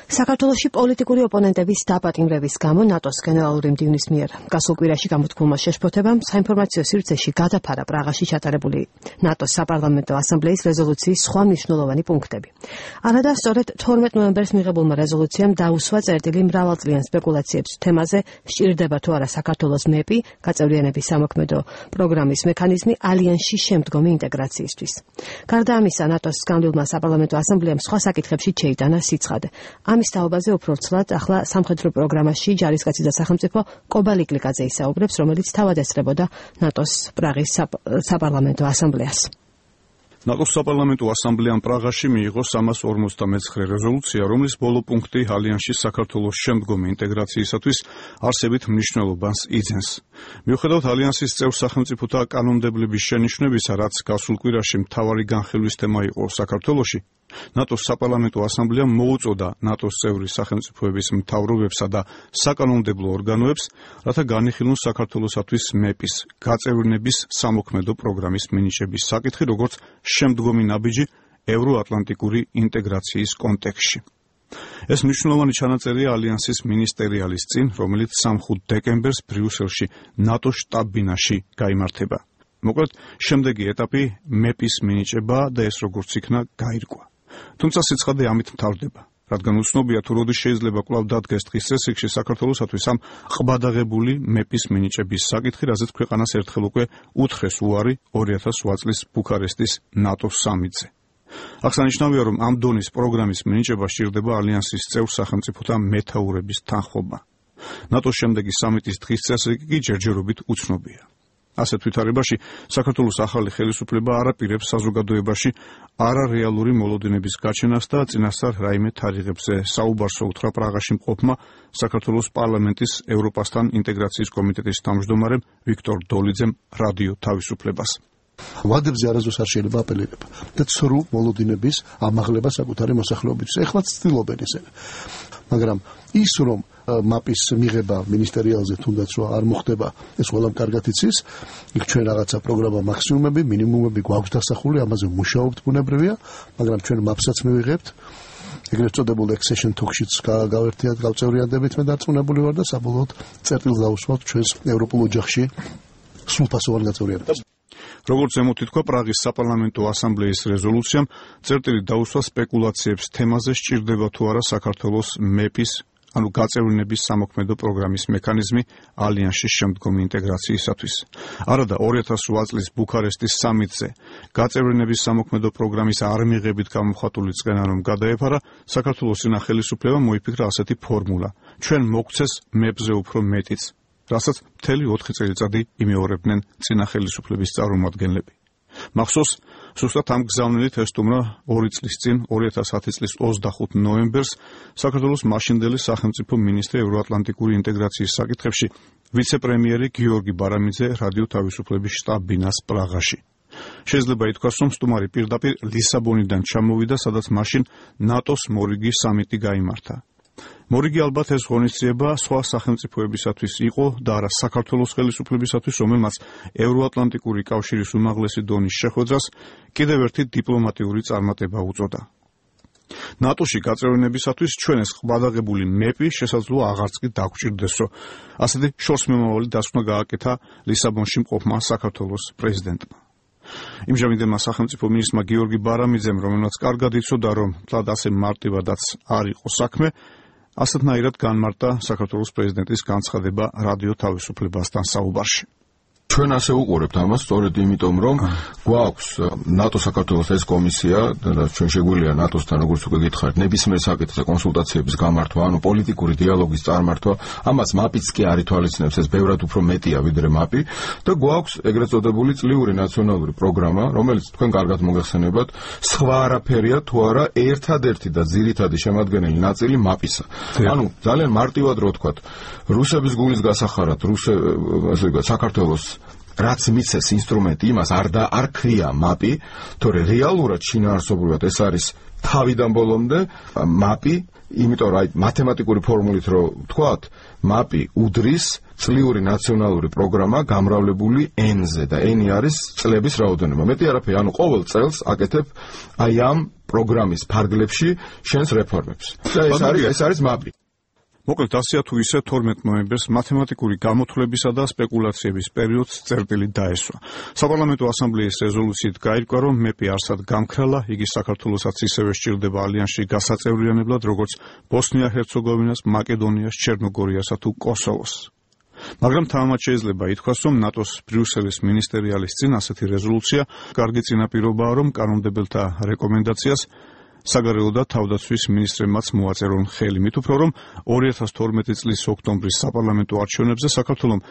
საქართველოში პოლიტიკური ოპონენტების დაპატიმრების გამო ნატოს გენერალური მდივნის მიერ გასულ კვირაში გამოთქმულმა შეშფოთებამ საინფორმაციო სივრცეში გადაფარა პრაღაში ჩატარებული ნატოს საპარლამენტო ასამბლეის რეზოლუციის სხვა მნიშვნელოვანი პუნქტები. არადა სწორედ 12 ნოემბერს მიღებულმა რეზოლუციამ დაუსვა წერტილი მრავალწლიან სპეკულაციებს თემაზე სჭირდება თუ არა საქართველოს მეპი გაწევრიანების სამოქმედო პროგრამის მექანიზმი ალიანსში შემდგომი ინტეგრაციისთვის. გარდა ამისა, ნატოს განვლილმა საპარლამენტო ასამბლეამ სხვა საკითხებში შეიტანა სიცხადე. ამის თაობაზე უფრო ცვლად ახლა სამხედრო პროგრამაში ჯარისკაცი და სახელმწიფო კობა ლიკლიკაძე ისაუბრებს, რომელიც თავად ესწრებოდა ნატოს პრაღის საპარლამენტო ასამბლეას. ნატოს საპარლამენტო ასამბლეამ პრაღაში მიიღო 359 რეზოლუცია, რომლის ბოლო პუნქტი ალიანსში საქართველოს შემდგომი ინტეგრაციისათვის არსებით მნიშვნელობას იძენს. მიუხედავად ალიანსის წევრ სახელმწიფოთა კანონმდებლობის შენიშვნებისა, რაც გასულ კვირაში მთავარი განხილვის თემა იყო საქართველოში, ნატოს საპარლამენტო ასამბლეამ მოუწოდა ნატოს წევრი სახელმწიფოების მთავრობებსა და საკანონმდებლო ორგანოებს, რათა განიხილონ საქართველოსათვის მეპის გაწევრიანების სამოქმედო პროგრამის მინიჭების საკითხი, როგორც შემდგომი ნაბიჯი ევროატლანტიკური ინტეგრაციის კონტექსტში. ეს მნიშვნელოვანი ჩანაწერია ალიანსის მინისტერიალის წინ, რომელიც 3 დეკემბერს ბრიუსელში ნატოს შტაბ-ბინაში გაიმართება. მოკლედ, შემდეგი ეტაპი მეპის მინიჭება და ეს როგორც იქნა გაირკვა. თუმცა სიცხადე ამით მთავრდება, რადგან უცნობია თუ როდის შეიძლება კვლავ დადგეს დღის წესრიგში საქართველოსათვის ამ ყბადაღებული მეპის მინიჭების საკითხი, რაზეც ქვეყანას ერთხელ უკვე უთხრეს უარი 2008 წლის ბუქარესტის ნატოს სამიტზე. აღსანიშნავია, რომ ამ დონის პროგრამის მინიჭება სჭირდება ალიანსის წევრ სახელმწიფოთა მეთაურების თანხმობა. ნატოს შემდეგი სამიტის დღის წესრიგი კი ჯერჯერობით უცნობია. ასეთ ვითარებაში საქართველოს ახალი ხელისუფლება არ აპირებს საზოგადოებაში არარეალური მოლოდინების გაჩენას და წინასწარ რაიმე თარიღებზე საუბარს უთხრა პრაღაში მყოფმა საქართველოს პარლამენტის ევროპასთან ინტეგრაციის კომიტეტის თავმჯდომარემ ვიქტორ დოლიძემ რადიო თავისუფლებას. ვადებზე არასდროს არ შეიძლება აპელირება და ცრუ მოლოდინების ამაღლება საკუთარი მოსახლეობისთვის. ეხლა ცდილობენ ისინი. მაგრამ ის რომ მაპის მიღება მინისტერიალზე თუნდაც რომ არ მოხდება, ეს ყველამ კარგად იცის. იქ ჩვენ რაღაცა პროგრამა მაქსიმუმები, მინიმუმები გვაქვს დასახული, ამაზე მუშაობთ ბუნებრივია, მაგრამ ჩვენ მაპსაც მივიღებთ. ეგრეთ წოდებულ accession talks-შიც გავერთიათ, გავწევრიანდებით მე დარწმუნებული ვარ და საბოლოოდ წერტილს დავუსვათ ჩვენს ევროპულ ოჯახში სრულფასოვან გაწევრიანებას. როგორც ზემოთ ითქვა, პრაღის საპარლამენტო ასამბლეის რეზოლუციამ წერტილი დაუსვა სპეკულაციებს თემაზე სჭირდება თუ არა საქართველოს მეპის ანუ გაწევრიანების სამოქმედო პროგრამის მექანიზმი ალიანსში შემდგომი ინტეგრაციისათვის. არადა 2008 წლის ბუქარესტის სამიტზე გაწევრიანების სამოქმედო პროგრამის არ მიღებით გამოხატული წყენა რომ გადაეფარა, საქართველოს წინა ხელისუფლებამ მოიფიქრა ასეთი ფორმულა: ჩვენ მოგცეს მეპზე უფრო მეტიც, რასაც მთელი 4 წელიწადი იმეორებდნენ წინა ხელისუფლების წარმომადგენლები. მახსოვს, სუსტად ამ გზავნილით ესტუმრა 2 წლის წინ 2010 წლის 25 ნოემბერს საქართველოს მაშინდელი სახელმწიფო მინისტრი ევროატლანტიკური ინტეგრაციის საკითხებში ვიცე-პრემიერი გიორგი ბარამიძე რადიო თავისუფლების შტაბ-ბინას პრაღაში. შეიძლება ითქვას, რომ სტუმარი პირდაპირ ლისაბონიდან ჩამოვიდა, სადაც მაშინ ნატოს მორიგი სამიტი გაიმართა. მორიგი ალბათ ეს ღონისძიება სხვა სახელმწიფოებისათვის იყო და არა საქართველოს ხელისუფლებისათვის, რომელმაც ევროატლანტიკური კავშირის უმაღლესი დონის შეხვედრას კიდევ ერთი დიპლომატიური წარმატება უწოდა. ნატოში გაწევრიანებისათვის ჩვენ ეს ყბადაღებული მეპი შესაძლოა აღარც კი დაგვჭირდეს, რომ ასეთი შორსმემავალი დასკვნა გააკეთა ლისაბონში მყოფმა საქართველოს პრეზიდენტმა. იმჟამინდელმა სახელმწიფო მინისტრმა გიორგი ბარამიძემ, რომელმაც კარგად იცოდა, რომ თლად ასე მარტივადაც არ იყო საქმე, ასეთნაირად განმარტა საქართველოს პრეზიდენტის განცხადება რადიო თავისუფლებასთან საუბარში. ჩვენ ასე უყურებთ ამას სწორედ იმიტომ, რომ გვაქვს ნატო-საქართველოს ეს კომისია და ჩვენ შეგვიძლია ნატოსთან, როგორც უკვე გითხარით, ნებისმიერ საკითხზე კონსულტაციების გამართვა, ანუ პოლიტიკური დიალოგის წარმართვა, ამას მაპიც კი არ ითვალისწინებს, ეს ბევრად უფრო მეტია ვიდრე მაპი და გვაქვს ეგრეთ წოდებული წლიური ნაციონალური პროგრამა, რომელიც თქვენ კარგად მოგეხსენებათ, სხვა არაფერია თუ არა ერთადერთი და ძირითადი შემადგენელი ნაწილი მაპისა. ანუ ძალიან მარტივად რო ვთქვათ, რუსების გულის გასახარად, საქართველოს რაც მიცეს ინსტრუმენტი იმას არ ქვია მაპი, თორე რეალურად შინაარსობრივად ეს არის თავიდან ბოლომდე მაპი, იმიტომ რომ მათემატიკური ფორმულით რო ვთქვათ, მაპი უდრის წლიური ნაციონალური პროგრამა გამრავლებული N-ზე და N-ი არის წლების რაოდენობა. მეტი არაფერი, ანუ ყოველ წელს აკეთებ აი ამ პროგრამის ფარგლებში შენს რეფორმებს. და ეს არის მაპი. მოკლედ ასეა თუ ისე 12 ნოემბერს მათემატიკური გამოთვლებისა და სპეკულაციების პერიოდს წერტილი დაესვა. საპარლამენტო ასამბლეის რეზოლუციით გაირკვა, რომ მეპი არსად გამქრალა, იგი საქართველოსაც ისევე სჭირდება ალიანსში გასაწევრიანებლად, როგორც ბოსნია-ჰერცეგოვინას, მაკედონიას, ჩერნოგორიასა თუ კოსოვოს. მაგრამ თამამად შეიძლება ითქვას, რომ ნატოს ბრიუსელის მინისტერიალის წინ ასეთი რეზოლუცია კარგი წინაპირობაა, რომ კანონმდებელთა რეკომენდაციას საგარეო და თავდაცვის მინისტრებმაც მოაწერონ ხელი, მით უფრო რომ 2012 წლის ოქტომბრის საპარლამენტო არჩევნებზე საქართველომ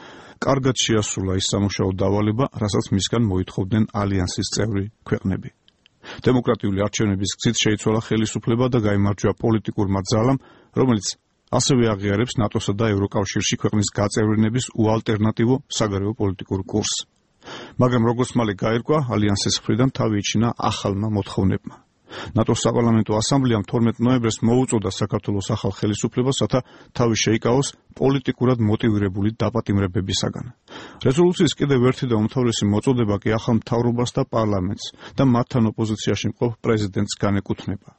კარგად შეასრულა ის სამუშაო დავალება, რასაც მისგან მოითხოვდნენ ალიანსის წევრი ქვეყნები. დემოკრატიული არჩევნების გზით შეიცვალა ხელისუფლება და გაიმარჯვა პოლიტიკურმა ძალამ, რომელიც ასევე აღიარებს ნატოსა და ევროკავშირში ქვეყნის გაწევრიანების უალტერნატივო საგარეო პოლიტიკურ კურსს. მაგრამ როგორც მალე გაირკვა, ალიანსის მხრიდან თავი იჩინა ახალმა მოთხოვნებმა. ნატოს საპარლამენტო ასამბლეამ 12 ნოემბერს მოუწოდა საქართველოს ახალ ხელისუფლებას, რათა თავი შეიკავოს პოლიტიკურად მოტივირებული დაპატიმრებებისაგან. რეზოლუციის კიდევ ერთი და უმთავრესი მოწოდება კი ახალ მთავრობას და პარლამენტს და მათთან ოპოზიციაში მყოფ პრეზიდენტს განეკუთვნება.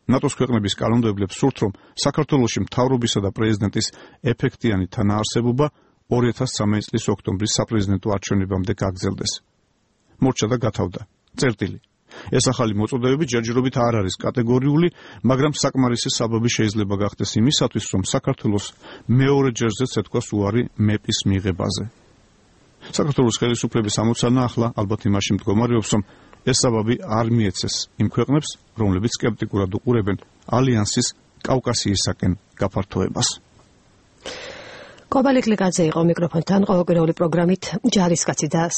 ნატოს ქვეყნების კანონმდებლებს სურთ, რომ საქართველოში მთავრობისა და პრეზიდენტის ეფექტიანი თანაარსებობა 2013 წლის ოქტომბრის საპრეზიდენტო არჩევნებამდე გაგრძელდეს. მორჩა და გათავდა. წერტილი. ეს ახალი მოწოდებები ჯერჯერობით არ არის კატეგორიული, მაგრამ საკმარისი საბაბი შეიძლება გახდეს იმისათვის, რომ საქართველოს მეორე ჯერზეც ეთქვას უარი მეპის მიღებაზე. საქართველოს ხელისუფლების ამოცანა ახლა ალბათ იმაში მდგომარეობს, რომ ეს საბაბი არ მიეცეს იმ ქვეყნებს, რომლებიც სკეპტიკურად უყურებენ ალიანსის კავკასიისაკენ გაფართოებას. კობალე კლიკაძე იყო მიკროფონთან, ყოველკვირეული პროგრამით ჯარისკაცი და